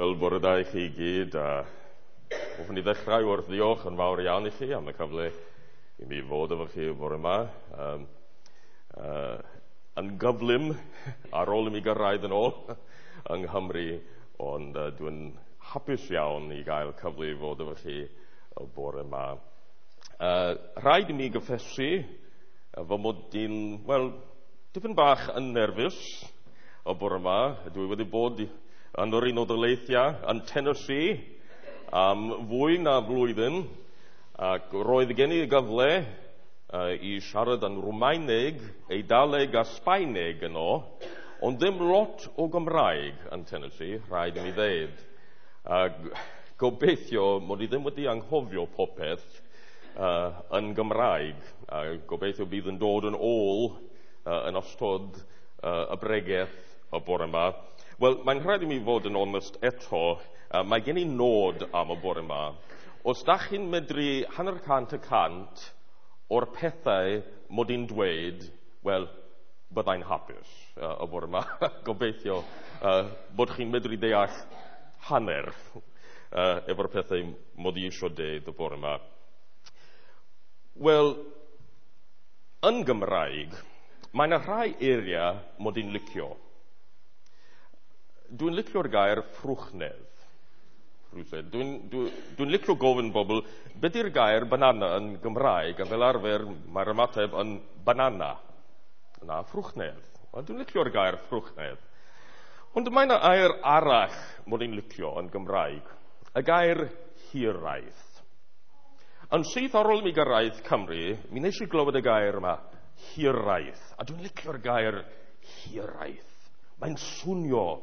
Wel, bore da i chi gyd, a hoffwn i ddechrau wrth ddiolch yn fawr iawn i chi am y cyfle i mi fod efo chi bore yma. Yn gyflym ar ôl i mi gyrraedd yn ôl yng Nghymru, ond dwi'n hapus iawn i gael cyfle i fod efo chi y bore yma. Rhaid i mi gyffesu fy mod i'n, wel, dipyn bach yn nerfus y bore yma. Dwi wedi bod yn yr Unol Daleithiau yn Tennessee am fwy na flwyddyn, ac roedd gen i gyfle i siarad yn Rwmaeneg, Eidaleg a Sbaeneg yno, ond ddim lot o Gymraeg yn Tennessee, rhaid i mi ddeud. A gobeithio mod i ddim wedi anghofio popeth yn Gymraeg, a gobeithio bydd yn dod yn ôl yn ystod y bregeth y bore yma. Wel, mae'n rhaid i mi fod yn onest eto, mae gen i nod am y bore yma. Os da chi'n medru 50% o'r pethau mod i'n dweud, wel, byddai'n hapus y bore yma. Gobeithio bod chi'n medru deall hanner efo'r pethau mod i eisiau deud y bore yma. Wel, yn Gymraeg, mae yna rhai eiriau mod i'n licio. Dwi'n licio'r gair ffrwchnedd. Dwi'n licio gofyn bobl, beth yw'r gair banana yn Gymraeg? A fel arfer, mae'r ymateb yn banana. Na, ffrwchnedd. Wel, dwi'n licio'r gair ffrwchnedd. Ond mae yna air arall mod i'n licio yn Gymraeg. Y gair hiraeth. Yn syth ar ôl mi gyrraedd Cymru, mi nes i glywed y gair yma, hiraeth. A dwi'n licio'r gair hiraeth. Mae'n swnio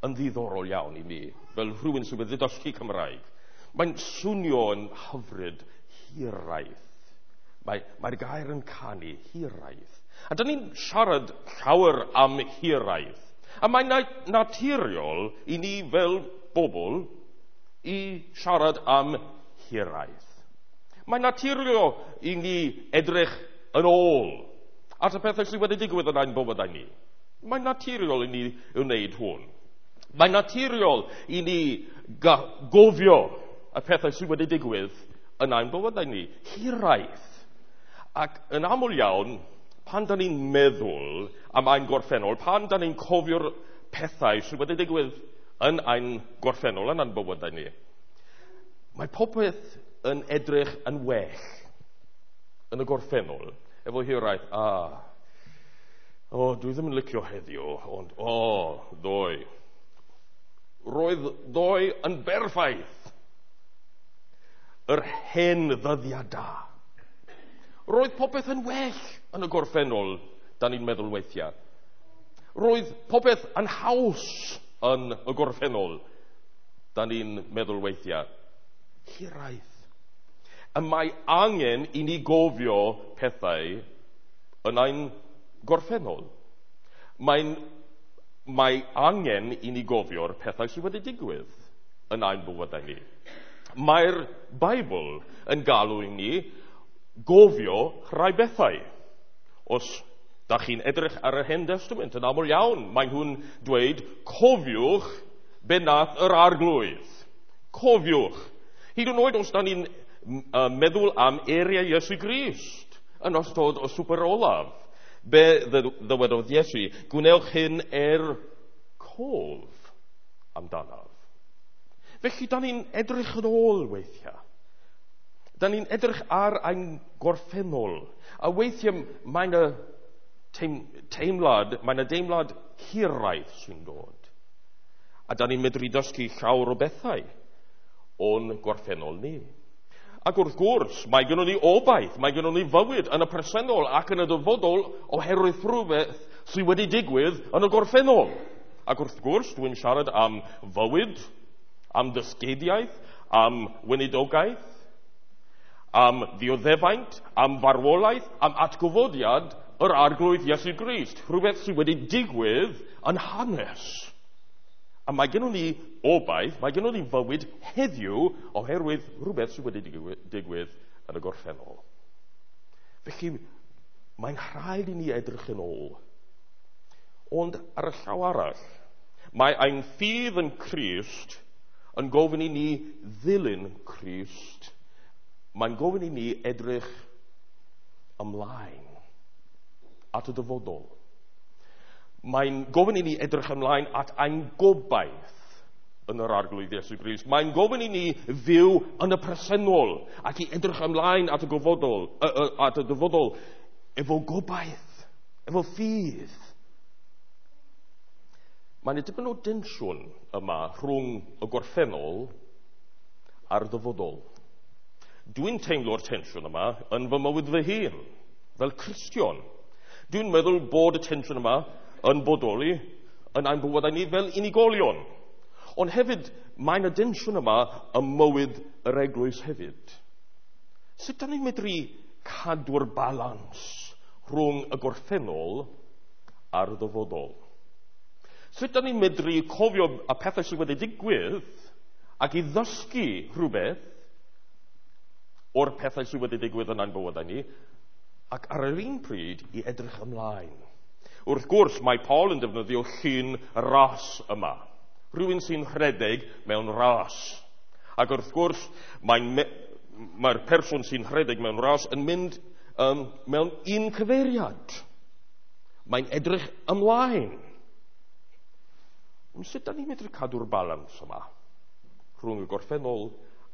yn ddiddorol iawn i mi, fel rhywun sydd wedi dysgu Cymraeg. Mae'n swnio yn hyfryd, hiraeth. Mae'r gair yn canu, hiraeth. A dyn ni'n siarad llawer am hiraeth. A mae'n naturiol i ni fel bobl i siarad am hiraeth. Mae'n naturiol i ni edrych yn ôl at y pethau sydd wedi digwydd yn ein bywydau ni. Mae'n naturiol i ni wneud hwn. Mae'n naturiol i ni gofio y pethau sydd wedi digwydd yn ein bywydau ni. Hiraeth. Ac yn aml iawn, pan da ni'n meddwl am ein gorffennol, pan da ni'n cofio'r pethau sydd wedi digwydd yn ein gorffennol, yn ein bywydau ni, mae popeth yn edrych yn well yn y gorffennol. Efo hiraeth, dwi ddim yn licio heddiw, ond, ddoe. Roedd ddoe yn berffaith. Yr hen ddyddiau da. Roedd popeth yn well yn y gorffennol, da ni'n meddwl weithiau. Roedd popeth yn haws yn y gorffennol, da ni'n meddwl weithiau. Hiraeth. Y mae angen i ni gofio pethau yn ein gorffennol. Mae angen i ni gofio'r pethau sydd wedi digwydd yn ein bywydau ni. Mae'r Beibl yn galw i ni gofio rhai bethau. Os da chi'n edrych ar yr Hen Testament yn aml iawn, mae nhw'n dweud, cofiwch be nath yr Arglwydd. Cofiwch. Hyd yn oed os da ni'n meddwl am eiriau Iesu Grist yn ystod y swper olaf. Be ddywedodd Iesu? Gwnewch hyn er cof amdanaf. Felly, da ni'n edrych yn ôl weithiau. Da ni'n edrych ar ein gorffennol. A weithiau mae'n y teimlad, mae'n y deimlad hiraeth sy'n dod. A da ni'n medru dysgu llawer o bethau o'n gorffennol ni. Ac wrth gwrs, mae gynnon ni obaith, mae gynnon ni fywyd yn y presennol ac yn y dyfodol oherwydd rhywbeth sydd wedi digwydd yn y gorffennol. Ac wrth gwrs, dwi'n siarad am fywyd, am dysgeidiaeth, am weinidogaeth, am ddioddefaint, am farwolaeth, am atgyfodiad yr Arglwydd Iesu Grist. Rhywbeth sydd wedi digwydd yn hanes. A mae gynnon ni obaith, mae gynnon ni fywyd heddiw oherwydd rhywbeth sydd wedi digwydd yn y gorffennol. Felly, mae'n rhaid i ni edrych yn ôl. Ond ar y llaw arall, mae ein ffydd yn Crist yn gofyn i ni ddilyn Crist. Mae'n gofyn i ni edrych ymlaen at y dyfodol. Mae'n gofyn i ni edrych ymlaen at ein gobaith yn yr Arglwydd Iesu Grist. Mae'n gofyn i ni fyw yn y presennol ac i edrych ymlaen at y gofodol, at y dyfodol efo gobaith, efo ffydd. Mae'n dipyn o densiwn yma rhwng y gorffennol a'r dyfodol. Dwi'n teimlo'r tensiwn yma yn fy mywyd fy hun, fel Cristion. Dwi'n meddwl bod y tensiwn yma yn bodoli yn ein bywydau ni fel unigolion. Ond hefyd, mae'n y densiwn yma ym mywyd yr eglwys hefyd. Sut da ni'n medru cadw'r balans rhwng y gorffennol a'r dyfodol? Sut da ni'n medru cofio y pethau sydd wedi digwydd ac i ddysgu rhywbeth o'r pethau sydd wedi digwydd yn ein bywydau ni, ac ar yr un pryd i edrych ymlaen? Wrth gwrs, mae Paul yn defnyddio llun ras yma. Rhywun sy'n rhedeg mewn ras. Ac wrth gwrs, mae'r person sy'n rhedeg mewn ras yn mynd mewn un cyfeiriad. Mae'n edrych ymlaen. Ond sut da ni'n medru cadw'r balans yma rhwng y gorffennol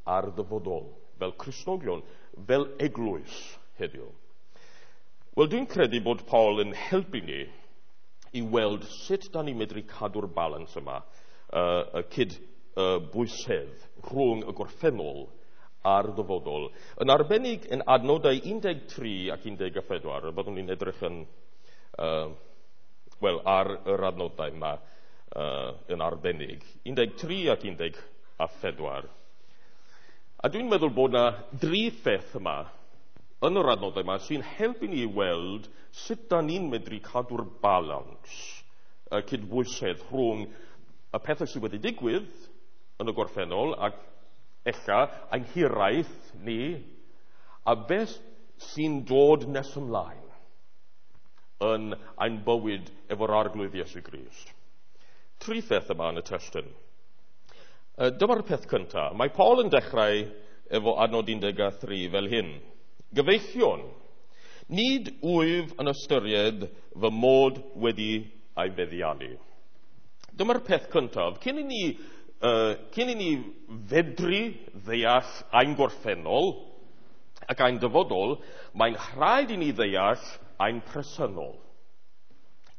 a'r dyfodol, fel Cristnogion, fel eglwys heddiw? Wel, dwi'n credu bod Paul yn helpu ni i weld sut da ni'n medru cadw'r balans yma, y cyd-bwysedd rhwng y gorffennol a'r dyfodol. Yn arbennig yn adnodau 13 ac 14, byddwn ni'n edrych yn, ar yr adnodau yma yn arbennig, 13 ac 14. A dwi'n meddwl bod yna dri pheth yma yn yr adnodau yma sy'n helpu ni i weld sut da ni'n medru cadw'r balans, y cydbwysedd rhwng y pethau sydd wedi digwydd yn y gorffennol ac ella ein hiraeth ni, a beth sy'n dod nes ymlaen yn ein bywyd efo'r Arglwydd Iesu Grist. Tri pheth yma yn y testun. Dyma'r peth cyntaf. Mae Paul yn dechrau efo adnod 13 fel hyn. Gyfeillion, nid wyf yn ystyried fy mod wedi ei feddiannu. Dyma'r peth cyntaf. Cyn i ni fedru ddeall ein gorffennol ac ein dyfodol, mae'n rhaid i ni ddeall ein presennol.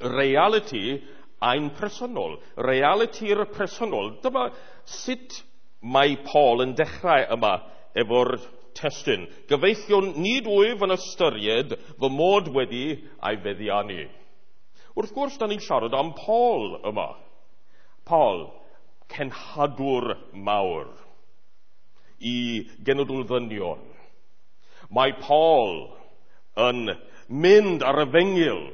Reality ein presennol. Realiti'r presennol. Dyma sut mae Paul yn dechrau yma efo'r testun. Gyfeillion, nid wyf yn ystyried fy mod wedi ei feddiannu. Wrth gwrs, da ni'n siarad am Paul yma. Paul, cenhadwr mawr i genedl ddynion. Mae Paul yn mynd ar efengyl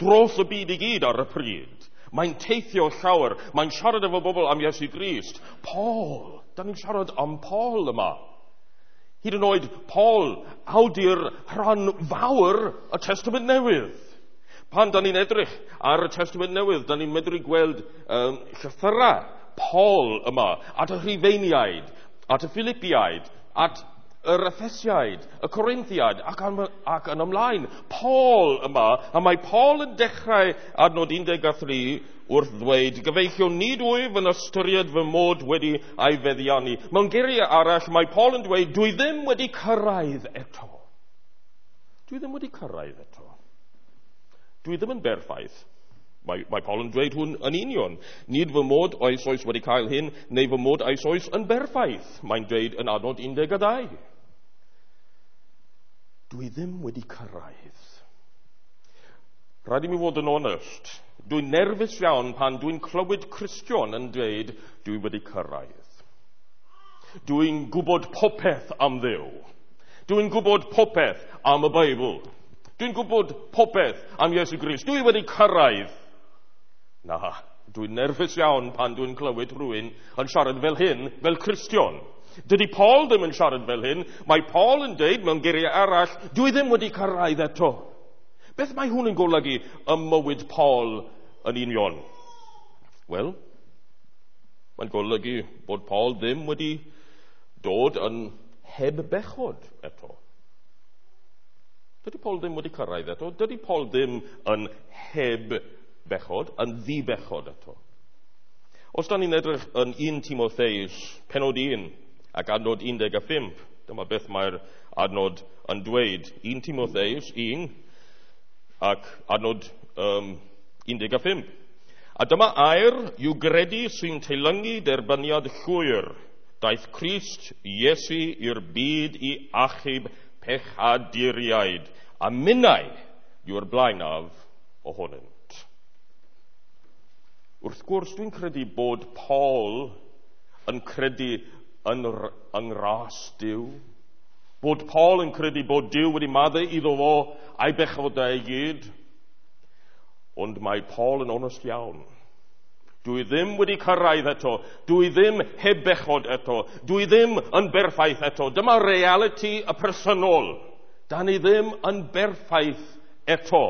dros y byd i gyd ar y pryd. Mae'n teithio llawer. Mae'n siarad efo bobl am Iesu Grist. Paul, da ni'n siarad am Paul yma. Hyd yn oed Paul, awdur rhan fawr y Testament Newydd. Pan da ni'n edrych ar y Testament Newydd, da ni'n medru gweld llythyrau Paul yma, at y Rhufeiniaid, at y Philippiaid, at yr Ephesiaid, y Corinthiaid, ac yn ymlaen. Paul yma, a mae Paul yn dechrau adnod 13 wrth ddweud, gyfeillion, nid wyf yn ystyried fy mod wedi ei feddiannu. Mewn geiriau arall, mae Paul yn dweud, dwi ddim wedi cyrraedd eto. Dwi ddim wedi cyrraedd eto. Dwi ddim yn berffaith. Mae Paul yn dweud hwn yn union. Nid fy mod eisoes wedi cael hyn, neu fy mod eisoes yn berffaith. Mae'n dweud yn adnod 12. Dwi ddim wedi cyrraedd. Rhaid i mi fod yn onest. Dwi'n nerfus iawn pan dwi'n clywed Cristion yn dweud dwi wedi cyrraedd. Dwi'n gwybod popeth am Dduw. Dwi'n gwybod popeth am y Beibl. Dwi'n gwybod popeth am Iesu Grist. Dwi wedi cyrraedd. Na, dwi'n nerfus iawn pan dwi'n clywed rhywun yn siarad fel hyn, fel Cristion. Dydy Paul ddim yn siarad fel hyn. Mae Paul yn dweud mewn geiriau arall, dwi ddim wedi cyrraedd eto. Beth mae hwn yn golygu ym mywyd Paul yn union? Wel, Mae'n golygu bod Paul ddim wedi dod yn heb bechod eto. Dydy Paul ddim wedi cyrraedd eto. Dydy Paul ddim yn heb bechod, yn ddi-bechod eto. Os da ni'n edrych yn 1 Timotheus, penod 1 ac adnod 15, dyma beth mae'r adnod yn dweud. 1 Timotheus 1 ac adnod 15. A dyma air i'w gredu sy'n teilyngu derbyniad llwyr. Daeth Crist Iesu i'r byd i achub pechaduriaid, a minnau yw'r blaenaf ohonynt. Wrth gwrs, dwi'n credu bod Paul yn credu yn ras Duw. Bod Paul yn credu bod Duw wedi maddau iddo fo a'i bechodau i gyd. Ond mae Paul yn onest iawn. Dwi ddim wedi cyrraedd eto. Dwi ddim heb bechod eto. Dwi ddim yn berffaith eto. Dyma realiti y personol. Da ni ddim yn berffaith eto.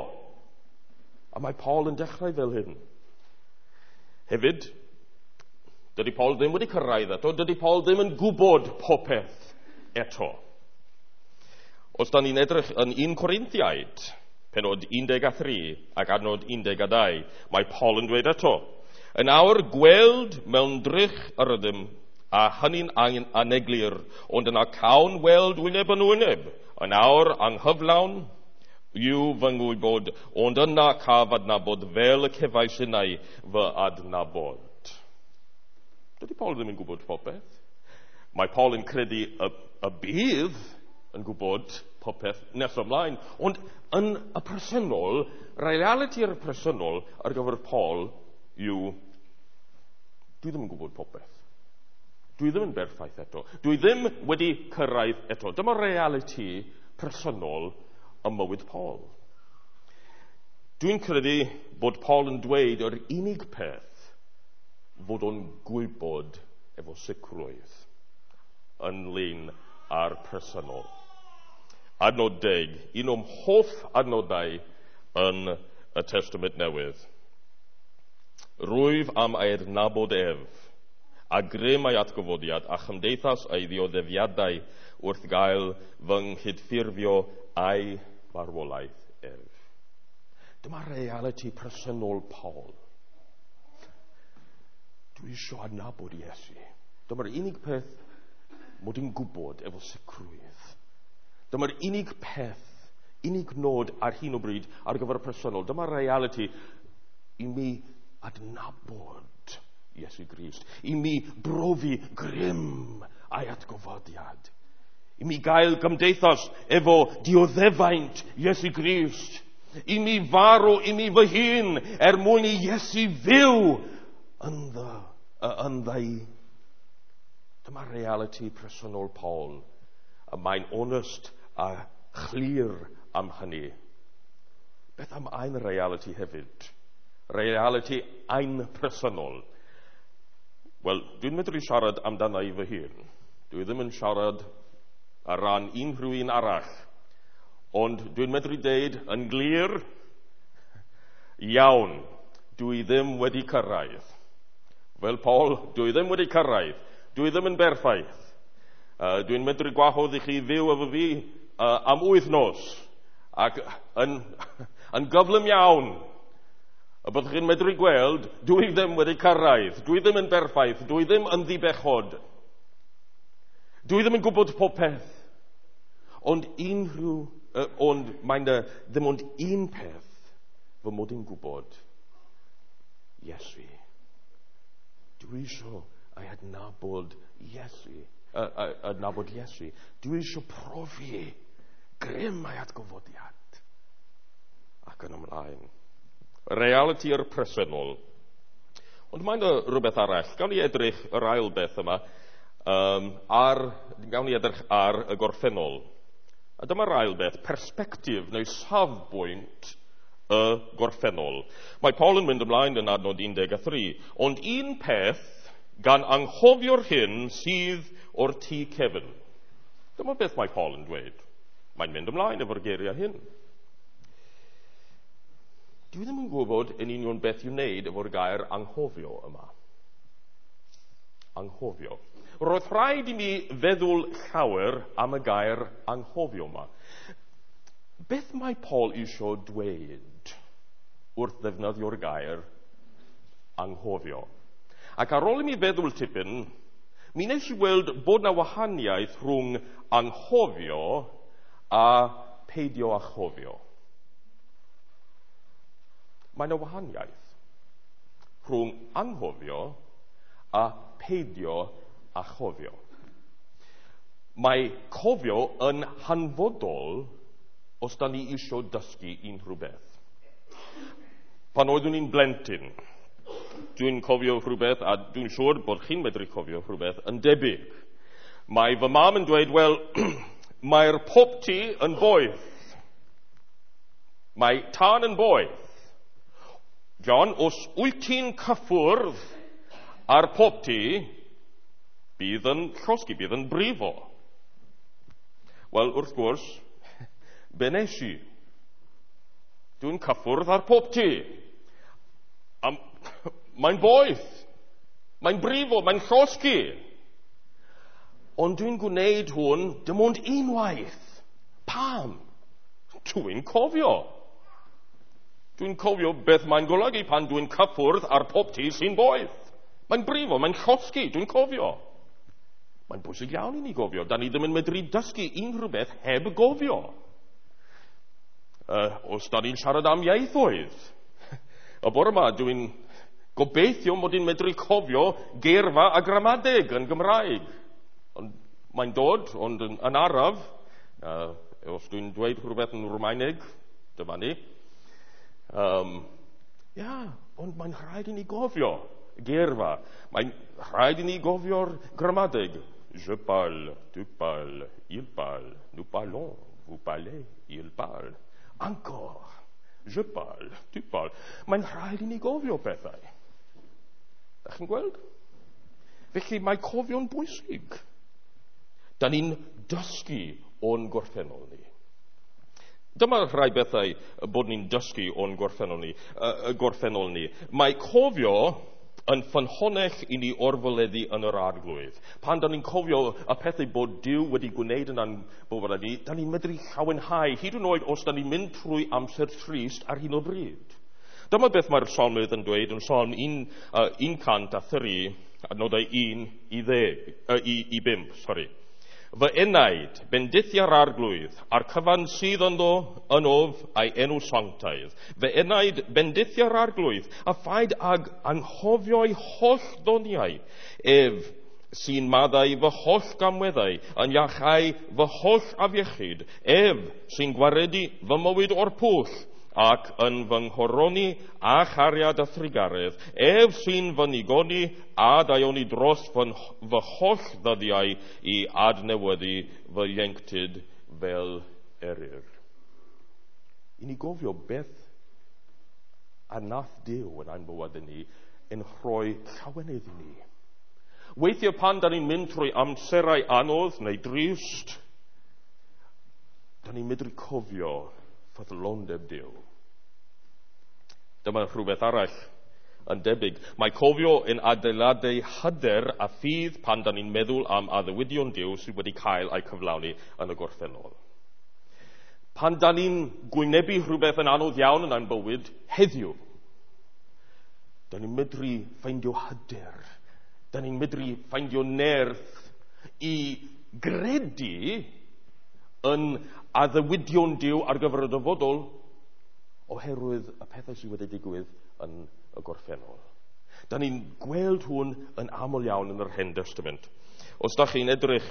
A mae Paul yn dechrau fel hyn. Hefyd, dydy Paul ddim wedi cyrraedd eto. Dydy Paul ddim yn gwybod popeth eto. Os da ni'n edrych yn 1 Corinthiaid, penod 13 ac adnod 12, mae Paul yn dweud eto, yn awr gweld mewn drych yr ydym, a hynny'n aneglur, ond yna cawn weld wyneb yn wyneb. Yn awr anghyflawn yw fy ngwybod, ond yna caf adnabod fel y cefais innau fy adnabod. Dydy Paul ddim yn gwybod popeth. Mae Paul yn credu y bydd yn gwybod popeth nes ymlaen, ond yn y presennol, realiti'r presennol ar gyfer Paul yw, dwi ddim yn gwybod popeth. Dwi ddim yn berffaith eto. Dwi ddim wedi cyrraedd eto. Dyma realiti presennol ym mywyd Paul. Dwi'n credu bod Paul yn dweud yr unig peth fod o'n gwybod efo sicrwydd ynglyn â'r presennol. Adnod 10, un o'm hoff adnodau yn y Testament Newydd. Rwyf am ei adnabod ef, a grym ei atgyfodiad a chymdeithas ei ddioddefiadau wrth gael fy nghydffurfio a'i farwolaeth ef. Dyma realiti presennol Paul. Dwi eisiau adnabod Iesu. Dyma'r unig peth mod i'n gwybod efo sicrwydd. Dyma'r unig peth, unig nod ar hyn o bryd ar gyfer y presennol. Dyma'r realiti i mi adnabod Iesu Grist. I mi brofi grym a'i atgofodiad. I mi gael gymdeithas efo dioddefaint Iesu Grist. I mi farw i mi fy hun er mwyn i Iesu fyw ynddo i. Dyma realiti presennol Paul. Y mae'n onest a chlir am hynny. Beth am ein realiti hefyd? Realiti ein presennol. Wel, dwi'n medru siarad amdana i fy hun. Dwi ddim yn siarad ar ran unrhyw un arall. Ond dwi'n medru deud yn glir, iawn, dwi ddim wedi cyrraedd. Fel Paul, dwi ddim wedi cyrraedd. Dwi ddim yn berffaith. Dwi'n medru gwahodd i chi fyw efo fi am wythnos ac yn gyflym iawn. Y byddwch chi'n medru gweld, dwi ddim wedi cyrraedd, dwi ddim yn berffaith, dwi ddim yn ddibechod. Dwi ddim yn gwybod popeth. Ond ond mae'n ddim ond un peth fy mod i'n gwybod. Iesu. Dwi eisiau ei adnabod Iesu. Adnabod Iesu. Dwi eisiau profi grym ei atgyfodiad. Ac yn ymlaen. Realiti'r presennol. Ond mae'n rhywbeth arall. Gawn ni edrych yr ail beth yma. Gawn ni edrych ar y gorffennol. A dyma'r ail beth, persbectif neu safbwynt y gorffennol. Mae Paul yn mynd ymlaen yn adnod 13. Ond un peth gan anghofio'r hyn sydd o'r tŷ cefn. Dyma beth mae Paul yn dweud. Mae'n mynd ymlaen efo'r geiriau hyn. Dwi ddim yn gwybod yn union beth i'w wneud efo'r gair anghofio yma. Anghofio. Roedd rhaid i mi feddwl llawer am y gair anghofio yma. Beth mae Paul eisiau dweud wrth ddefnyddio'r gair anghofio? Ac ar ôl i mi feddwl tipyn, mi wnes i weld bod na wahaniaeth rhwng anghofio a peidio â chofio. Mae yna wahaniaeth rhwng anghofio a peidio â chofio. Mae cofio yn hanfodol os da ni eisiau dysgu unrhyw beth. Pan oeddwn i'n blentyn, dwi'n cofio rhywbeth, a dwi'n siŵr bod chi'n medru cofio rhywbeth yn debyg. Mae fy mam yn dweud, wel, mae'r popty yn boeth. Mae tân yn boeth. John, os wyt ti'n cyffwrdd ar popty, bydd yn llosgi, bydd yn brifo. Wel, wrth gwrs, be nes i? Dwi'n cyffwrdd ar popty. Mae'n boeth. Mae'n brifo, mae'n llosgi. Ond dwi'n gwneud hwn dim ond unwaith. Pam? Dwi'n cofio. Dwi'n cofio beth mae'n golygu pan dwi'n cyffwrdd ar popty sy'n boeth. Mae'n brifo, mae'n llosgi, dwi'n cofio. Mae'n bwysig iawn i ni gofio. Da ni ddim yn medru dysgu unrhyw beth heb gofio. Os da ni'n siarad am ieithoedd. Y bore yma, dwi'n gobeithio mod i'n medru cofio geirfa a gramadeg yn Gymraeg. Ond mae'n dod, ond yn araf. Os dwi'n dweud rhywbeth yn Rwmaeneg, dyma ni. Ond mae'n rhaid i ni gofio geirfa. Mae'n rhaid i ni gofio'r gramadeg. Je parle, tu parles, il parle, nous parlons, vous parlez, il parle. Encore. Je parle, tu parles. Mae'n rhaid i ni gofio pethau. Da chi'n gweld? Felly mae cofio'n bwysig. Da ni'n dysgu o'n gorffennol ni. Dyma rhai bethau bod ni'n dysgu o'n gorffennol ni. Mae cofio yn ffynhonnell i ni orfoleddu yn yr arglwydd. Pan da ni'n cofio y pethau bod Duw wedi gwneud yn ein bywydau ni, da ni'n medru llawenhau, hyd yn oed os da ni'n mynd trwy amser trist ar hyn o bryd. Dyma beth mae'r salmydd yn dweud yn Salm 103, adnodau 1 i 5. Sorry. Fy enaid, bendithia'r arglwydd, a'r cyfan sydd ynddo yn of a'i enw sanctaidd. Fy enaid, bendithia'r arglwydd, a phaid ag anghofio'i holl ddoniau. Ef sy'n maddau fy holl gamweddau, yn iachau fy holl afiechyd. Ef sy'n gwaredu fy mywyd o'r pwll, ac yn fy nghoroni a chariad a thrugaredd. Ef sy'n fy nigoni a daioni dros fy holl ddyddiau i adnewyddu fy ieuenctid fel eryr. I ni gofio beth a nath Duw yn ein bywyd ni yn rhoi llawenydd i ni. Weithiau pan da ni'n mynd trwy amserau anodd neu drist, da ni'n medru cofio ffyddlondeb Duw. Dyma rhywbeth arall yn debyg. Mae cofio yn adeiladu hyder a ffydd pan da ni'n meddwl am addewidion Duw sydd wedi cael eu cyflawni yn y gorffennol. Pan da ni'n gwynebu rhywbeth yn anodd iawn yn ein bywyd heddiw, da ni'n medru ffeindio hyder, da ni'n medru ffeindio nerth i gredu yn addewidion Duw ar gyfer y dyfodol oherwydd y pethau sydd wedi digwydd yn y gorffennol. Da ni'n gweld hwn yn aml iawn yn yr Hen Testament. Os da chi'n edrych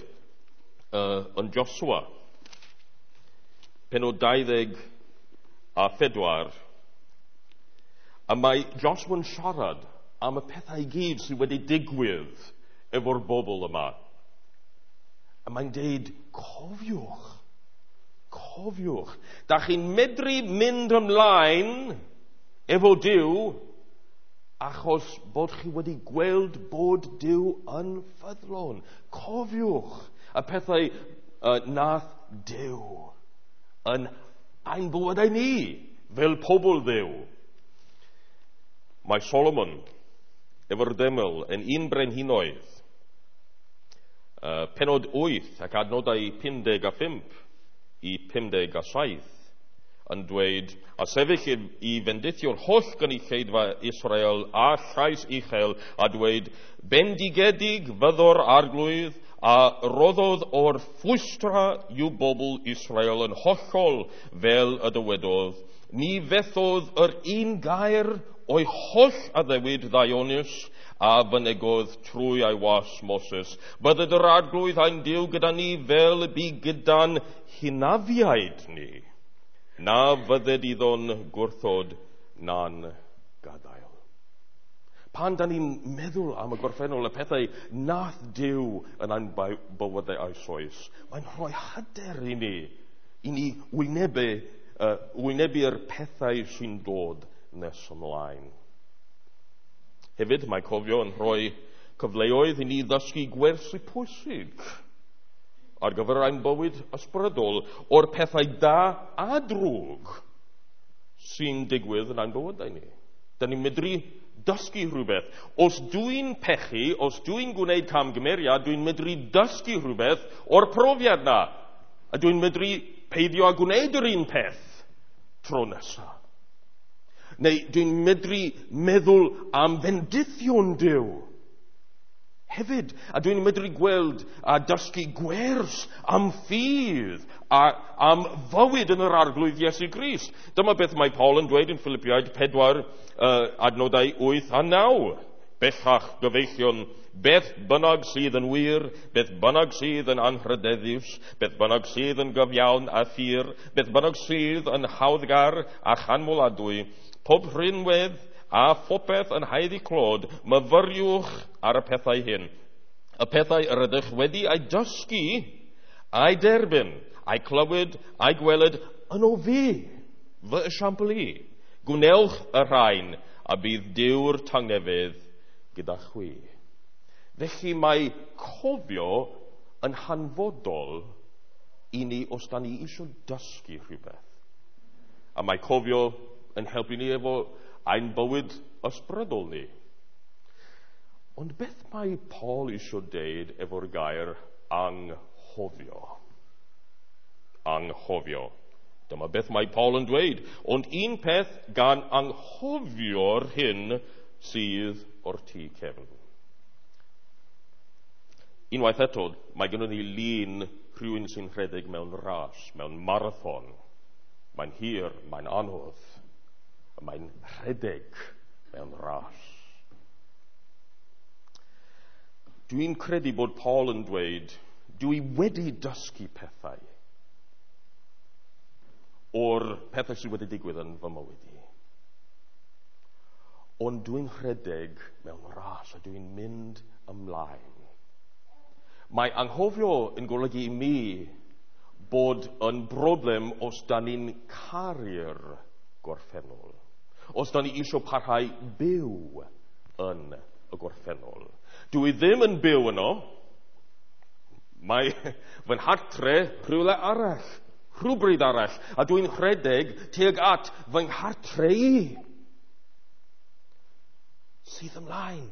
yn Joshua, pennod 24, a mae Joshua'n siarad am y pethau i gyd sydd wedi digwydd efo'r bobl yma. A mae'n deud, cofiwch, cofiwch. Da chi'n medru mynd ymlaen efo Duw achos bod chi wedi gweld bod Duw yn ffyddlon. Cofiwch y pethau nath Duw yn ein bywydau ni fel pobl Dduw. Mae Solomon efo'r deml yn un brenhinoedd Penod 8 ac adnodau 55 i 57 yn dweud, a sefyll i fendithio'r holl gynulleidfa Israel a llais uchel a dweud, bendigedig fyddo'r arglwydd a roddodd o'r ffwystra i'w bobl Israel yn hollol fel y dywedodd. Ni fethodd yr un gair o'i holl addewid ddaionus a fynegodd trwy ei was Moses. Bydded yr arglwydd ein Duw gyda ni fel y bu gyda'n hynafiaid ni. Na fydded iddo'n gwrthod na'n gadael. Pan da ni'n meddwl am y gorffennol, y pethau nath Duw yn ein bywydau eisoes, mae'n rhoi hyder i ni wynebu'r pethau sy'n dod nes ymlaen. Hefyd, mae cofio yn rhoi cyfleoedd i ni ddysgu gwersi pwysig ar gyfer ein bywyd ysbrydol o'r pethau da a drwg sy'n digwydd yn ein bywydau ni. Da ni'n medru dysgu rhywbeth. Os dwi'n pechu, os dwi'n gwneud camgymeriad, dwi'n medru dysgu rhywbeth o'r profiad na. A dwi'n medru peidio â gwneud yr un peth tro nesaf. Neu dwi'n medru meddwl am fendithion Duw hefyd. A dwi'n medru gweld a dysgu gwers am ffydd a am fywyd yn yr Arglwydd Iesu Grist. Dyma beth mae Paul yn dweud yn Philippiaid 4, adnodau 8 a 9. Bellach gyfeillion, beth bynnag sydd yn wir, beth bynnag sydd yn anrhydeddus, beth bynnag sydd yn gyfiawn a phur, beth bynnag sydd yn hawddgar a chanmoladwy, pob rhinwedd a phopeth yn haeddu clod, myfyriwch ar y pethau hyn. Y pethau yr ydych wedi eu dysgu, eu derbyn, eu clywed, eu gweled yn o fi, fy esiampl i. Gwnewch y rhain a bydd Duw'r tangnefedd gyda chwi. Felly mae cofio yn hanfodol i ni os da ni eisiau dysgu rhywbeth. A mae cofio yn helpu ni efo ein bywyd ysbrydol ni. Ond beth mae Paul eisiau deud efo'r gair anghofio? Anghofio. Dyma beth mae Paul yn dweud. Ond un peth gan anghofio'r hyn sydd o'r tu cefn. Unwaith eto, mae gennym ni lun rhywun sy'n rhedeg mewn ras, mewn marathon. Mae'n hir, mae'n anodd. Mae'n rhedeg mewn ras. Dwi'n credu bod Paul yn dweud, dwi wedi dysgu pethau o'r pethau sydd wedi digwydd yn fy mywyd i. Ond dwi'n rhedeg mewn ras a dwi'n mynd ymlaen. Mae anghofio yn golygu i mi bod yn broblem os da ni'n caru'r gorffennol. Os da ni eisiau parhau byw yn y gorffennol. Dwi ddim yn byw yno. Mae fy nghartre rhywle arall, rhywbryd arall, a dwi'n rhedeg tuag at fy nghartre i sydd ymlaen.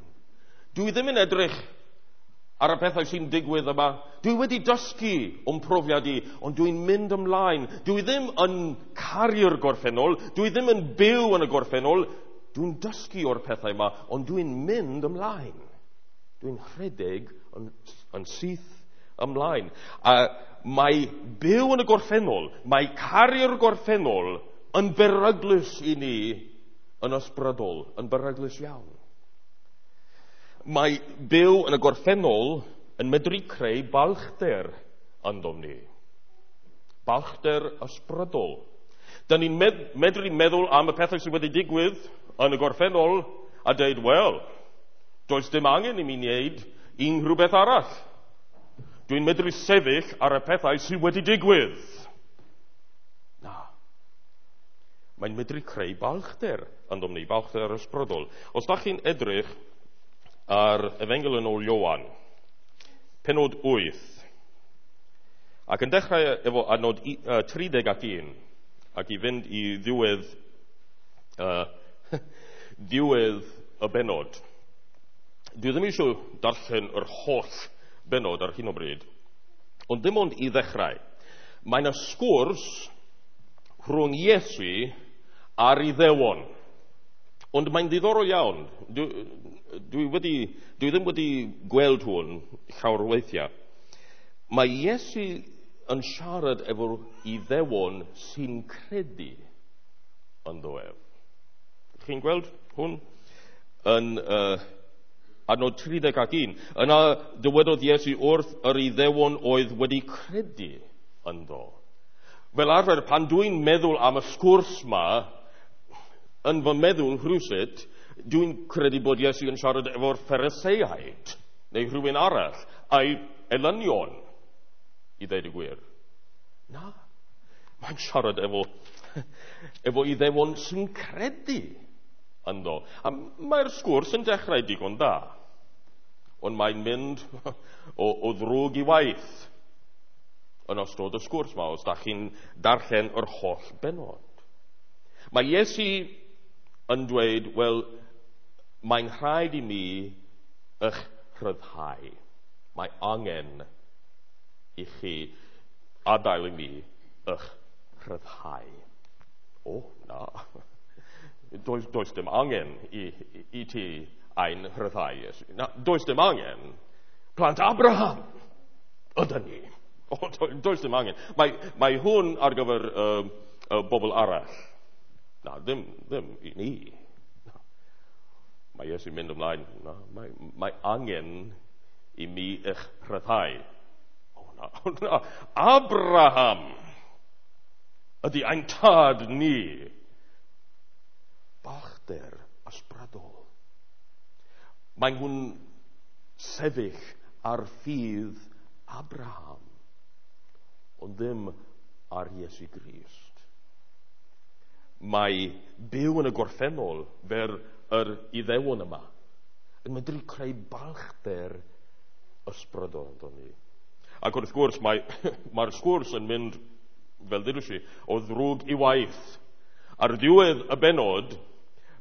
Dwi ddim yn edrych ar y pethau sy'n digwydd yma. Dwi wedi dysgu o'm profiad i, ond dwi'n mynd ymlaen. Dwi ddim yn caru'r gorffennol, dwi ddim yn byw yn y gorffennol. Dwi'n dysgu o'r pethau yma, ond dwi'n mynd ymlaen. Dwi'n rhedeg yn syth ymlaen. A mae byw yn y gorffennol, mae caru'r gorffennol yn beryglus i ni yn ysbrydol, yn beryglus iawn. Mae byw yn y gorffennol yn medru creu balchder yndom ni. Balchder ysbrydol. Da ni'n medru meddwl am y pethau sydd wedi digwydd yn y gorffennol a dweud, wel, does dim angen i mi wneud unrhyw beth arall. Dwi'n medru sefyll ar y pethau sydd wedi digwydd. Na. Mae'n medru creu balchder yndom ni, balchder ysbrydol. Os da chi'n edrych ar Efengyl yn ôl Ioan, penod 8, ac yn dechrau efo adnod 31, ac i fynd i ddiwedd, diwedd y benod. Dwi ddim eisiau darllen yr holl benod ar hyn o bryd. Ond dim ond i ddechrau. Mae yna sgwrs rhwng Iesu a'r Iddewon. Ond mae'n ddiddorol iawn. Dwi ddim wedi gweld hwn llawer o weithiau. Mae Iesu yn siarad efo'r Iddewon sy'n credu ynddo ef. Chi'n gweld hwn? Yn adnod 31. Yna dywedodd Iesu wrth yr Iddewon oedd wedi credu ynddo. Fel arfer, pan dwi'n meddwl am y sgwrs ma, yn fy meddwl rhywsut, dwi'n credu bod Iesu yn siarad efo'r Phariseaid, neu rhywun arall, a'i elynion, i ddeud y gwir. Na, mae'n siarad efo Iddewon sy'n credu ynddo. A mae'r sgwrs yn dechrau digon da, ond mae'n mynd o ddrwg i waith yn ystod y sgwrs ma, os da chi'n darllen yr holl benod. Mae Iesu yn dweud, wel, mae'n rhaid i mi eich rhyddhau. Mae angen i chi adael i mi eich rhyddhau. O, na. Does dim angen i ti ein rhyddhau, Iesu. Na, does dim angen. Plant Abraham ydyn ni. O, does dim angen. Mae hwn ar gyfer y bobl arall. Na, ddim i ni. Na. Mae Iesu'n mynd ymlaen. Na, mae angen i mi eich rhyddhau. O, na, na. Abraham ydy ein tad ni. Balchder ysbrydol. Mae nhw'n sefyll ar ffydd Abraham, ond ddim ar Iesu Grist. Mae byw yn y gorffennol fel yr Iddewon yma yn medru creu balchder ysbrydol ynddo ni. Ac wrth gwrs, mae'r sgwrs yn mynd, fel dudais i, o ddrwg i waith. Ar ddiwedd y benod,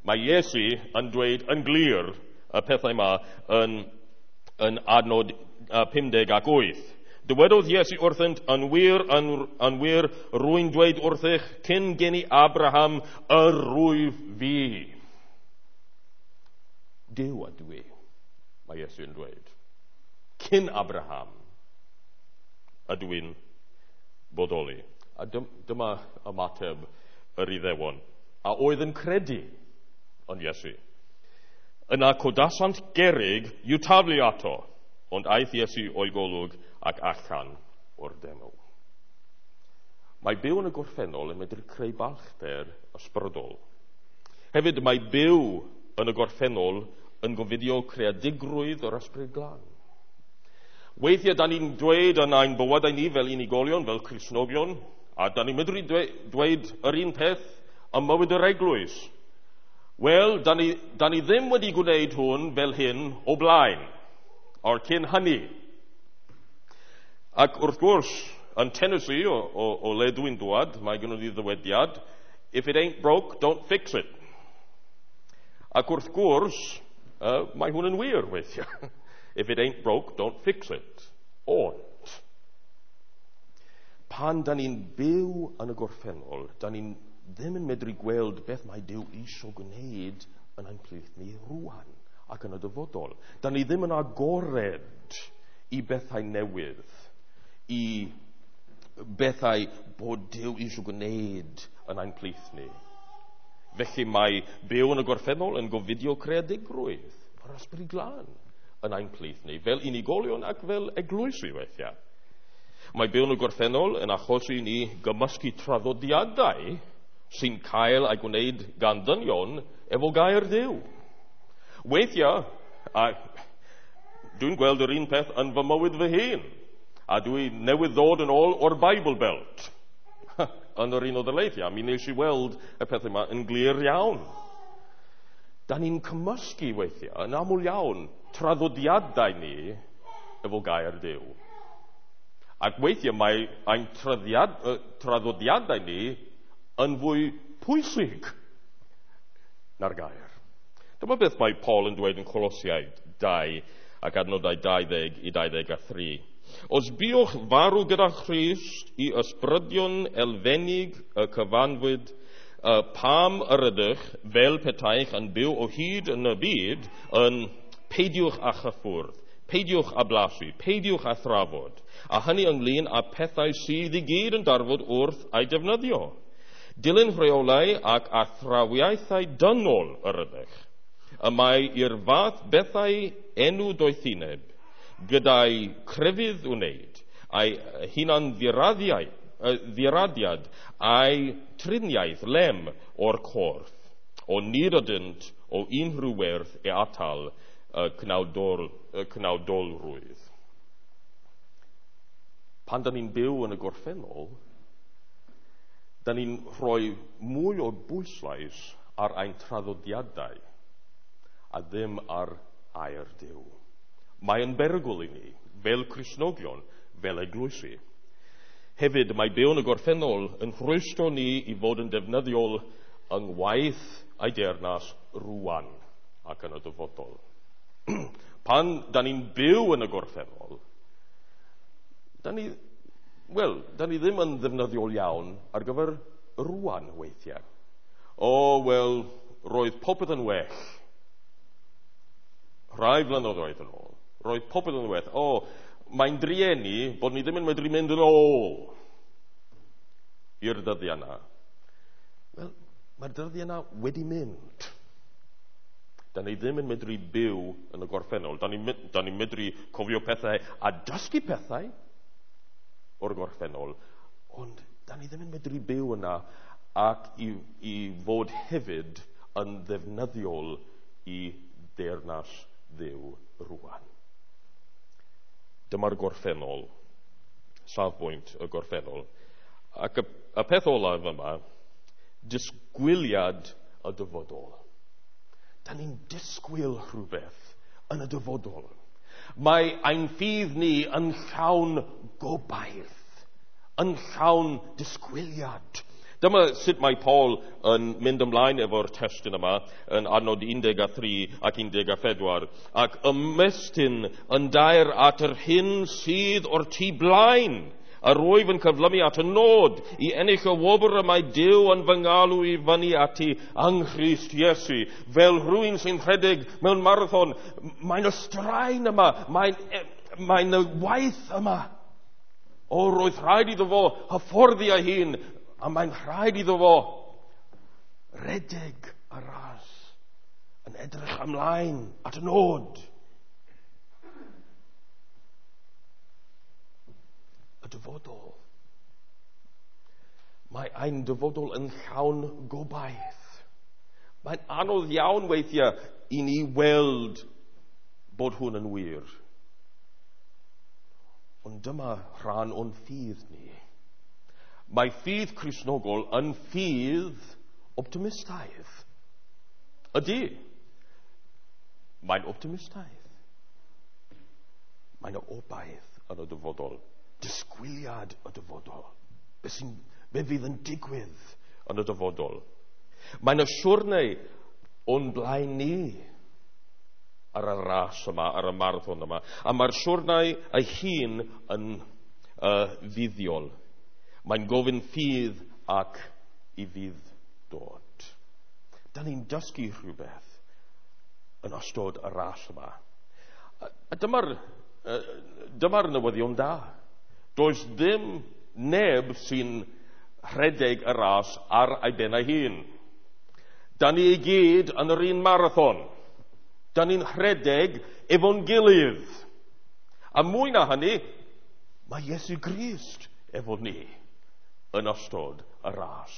mae Iesu yn dweud yn glir y pethau yma yn adnod 58. Dywedodd Iesu wrthynt, yn wir, rwy'n dweud wrthych, cyn geni Abraham, yr rwyf fi. Duw ydw i, mae Iesu yn dweud. Cyn Abraham ydw i'n bodoli. A dyma ymateb yr Iddewon, a oedd yn credu yn Iesu. Yna codasant gerrig i'w taflu ato, ond aeth Iesu o'i golwg ac allan o'r deml. Mae byw yn y gorffennol yn medru creu balchder ysbrydol. Hefyd mae byw yn y gorffennol yn gofidio creadigrwydd yr Ysbryd Glân. Weithiau da ni'n dweud yn ein bywydau ni fel unigolion, fel Cristnogion, a da ni'n medru dweud yr un peth ym mywyd yr eglwys. Wel, da ni ddim wedi gwneud hwn fel hyn o blaen, o'r cyn hynny. Ac wrth gwrs, yn Tennessee, o le dwi'n dwad, mae gennym ni ddywediad, if it ain't broke, don't fix it. Ac wrth gwrs, mae hwn yn wir weithiau. If it ain't broke, don't fix it. Ond, pan da ni'n byw yn y gorffennol, da ni'n ddim yn medru gweld beth mae Duw eisiau gwneud yn ein plith ni rwan ac yn y dyfodol. Da ni ddim yn agored i bethau newydd, i bethau bod Duw eisiau gwneud yn ein plith ni. Felly mae byw yn y gorffennol yn gofidio creadigrwydd, yr Ysbryd Glân yn ein plith ni, fel unigolion ac fel eglwysi weithiau. Mae byw yn y gorffennol yn achosi ni gymysgu traddodiadau sy'n cael ei gwneud gan ddynion efo gair Duw. Weithiau, a dwi'n gweld yr un peth yn fy mywyd fy hun, a dwi newydd ddod yn ôl o'r Bible Belt yn yr un o daleithiau. Mi nes i weld y pethau yma yn glir iawn. Da ni'n cymysgu weithiau, yn aml iawn, traddodiadau ni efo gair Duw. Ac weithiau mae ein traddodiadau ni yn fwy pwysig na'r gair. Dyma beth mae Paul yn dweud yn Colosiaid 2 ac adnodau 20 i 23. Os buwch farw gyda Christ i ysbrydion elfennig y cyfanfwyd, pam yr ydych fel petaech yn byw o hyd yn y byd, yn peidiwch â chyffwrdd, peidiwch â blasu, peidiwch â thrafod, a hynny ynglyn â pethau sydd i gyd yn darfod wrth ei defnyddio. Dilyn rheolau ac athrawiaethau dynol yr ydych. Y mae i'r fath bethau enw doethineb, gyda'i crefydd wneud, a'i hunan ddiradiad a'i triniaeth lem o'r corff, o nid ydynt o unrhyw werth e atal y cnawdolrwydd. Pan da ni'n byw yn y gorffennol, da ni'n rhoi mwy o bwyslais ar ein traddodiadau a ddim ar air Duw. Mae'n berygl i ni, fel Cristnogion, fel eglwysi. Hefyd, mae byw yn y gorffennol yn rhwystro ni i fod yn defnyddiol yng ngwaith ei deyrnas rwan ac yn y dyfodol. Pan da ni'n byw yn y gorffennol, da ni ddim yn ddefnyddiol iawn ar gyfer rwan weithiau. O, wel, roedd popeth yn well. Rhai flynyddoedd yn ôl. Roedd popeth yn well. O, mae'n drueni bod ni ddim yn medru mynd yn ôl i'r dyddiau yna. Wel, mae'r dyddiau yna wedi mynd. Da ni ddim yn medru byw yn y gorffennol. Da ni'n medru cofio pethau a dysgu pethau o'r gorffennol, ond da ni ddim yn medru byw yna ac i fod hefyd yn ddefnyddiol i deyrnas Dduw rwan. Dyma'r gorffennol, safbwynt y gorffennol. Ac y peth olaf yma, disgwyliad y dyfodol. Da ni'n disgwyl rhywbeth yn y dyfodol. Mae ein ffydd ni yn llawn gobaith, yn llawn disgwyliad. Dyma sut mae Paul yn mynd ymlaen efo'r testun yma yn adnod 13 ac 14, ac ymestyn yn dair at yr hyn sydd o'r tu blaen. A rwyf yn cyflymu at y nod i ennill y wobr y mae Duw yn fy ngalw i fyny ati yng Nghrist Iesu. Fel rhywun sy'n rhedeg mewn marathon, mae'n y straen yma, mae'n y waith yma. O, roedd rhaid iddo fo hyfforddi ei hun, a mae'n rhaid iddo fo redeg y ras yn edrych ymlaen at y nod. Y dyfodol. Mae ein dyfodol yn llawn gobaith. Mae'n anodd iawn weithiau i ni weld bod hwn yn wir. Ond dyma rhan o'n ffydd ni. Mae ffydd Cristnogol yn ffydd optimistaidd. Ydy. Mae'n optimistaidd. Mae'n obaith yn y dyfodol. Disgwyliad y dyfodol. Be fydd yn digwydd yn y dyfodol. Mae'n y siwrne o'n blaen ni ar y ras yma, ar y marathon yma. A mae'r siwrne ei hun yn fuddiol. Mae'n gofyn ffydd ac i fydd dod. Da ni'n dysgu rhywbeth yn ystod y ras yma. A dyma'r newyddion da. Does ddim neb sy'n rhedeg y ras ar ei ben ei hun. Da ni i gyd yn yr un marathon. Da ni'n rhedeg efo'n gilydd. A mwy na hynny, mae Iesu Grist efo ni yn ystod y ras.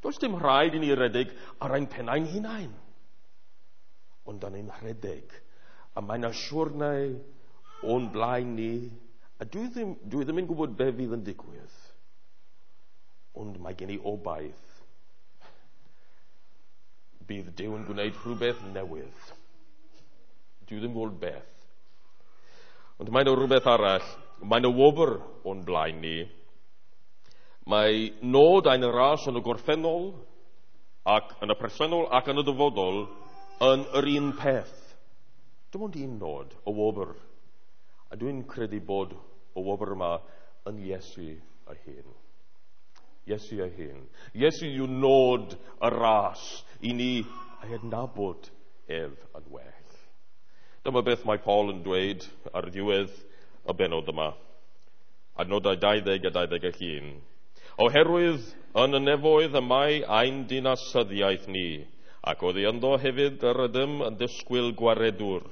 Does dim rhaid i ni redeg ar ein pennau'n hunain. Ond da ni'n rhedeg. A mae'n siwrne o'n blaen ni. A dwi ddim yn gwybod be fydd yn digwydd. Ond mae gen i obaith. Bydd Duw yn gwneud rhywbeth newydd. Dwi ddim yn gwybod beth. Ond mae'n rhywbeth arall. Mae'n y wobr o'n blaen ni. Mae nod ein ras yn y gorffennol ac yn y presennol ac yn y dyfodol yn yr un peth. Dim ond un nod, y wobr. A dwi'n credu bod y wobr yma yn Iesu ei hun. Iesu ei hun. Iesu yw nod y ras i ni ei adnabod ef yn well. Dyma beth mae Paul yn dweud ar ddiwedd y bennod yma. Adnodau 20 a 21. Oherwydd yn y nefoedd y mae ein dinasyddiaeth ni, ac oddi ynddo hefyd yr ydym yn disgwyl gwaredwr,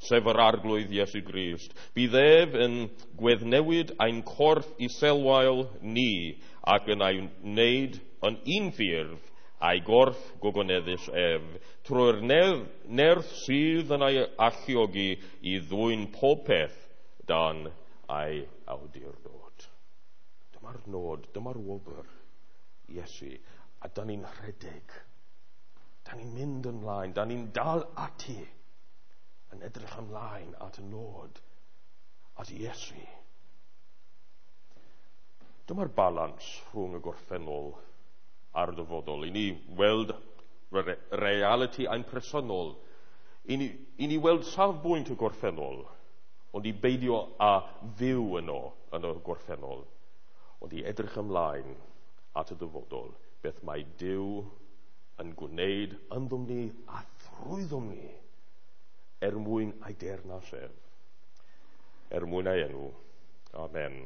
sef yr Arglwydd Iesu Grist. Bydd ef yn gweddnewid ein corff iselwael ni ac yn ei wneud yn un ffurf a'i gorff gogoneddus ef, trwy'r nerth sydd yn ei alluogi i ddwyn pob peth dan ei awdurdod. Dyma'r nod, dyma'r wobr, Iesu, a da ni'n rhedeg. Da ni'n mynd ymlaen, da ni'n dal ati yn edrych ymlaen at y nod, at Iesu. Dyma'r balans rhwng y gorffennol a'r dyfodol. I ni weld reality ein presennol. I ni weld safbwynt y gorffennol, ond i beidio â fyw yno yn y gorffennol, ond i edrych ymlaen at y dyfodol, beth mae Duw yn gwneud ynddom ni a thrwyddom ni er mwyn ei deyrnas ef, er mwyn ei enw. Amen.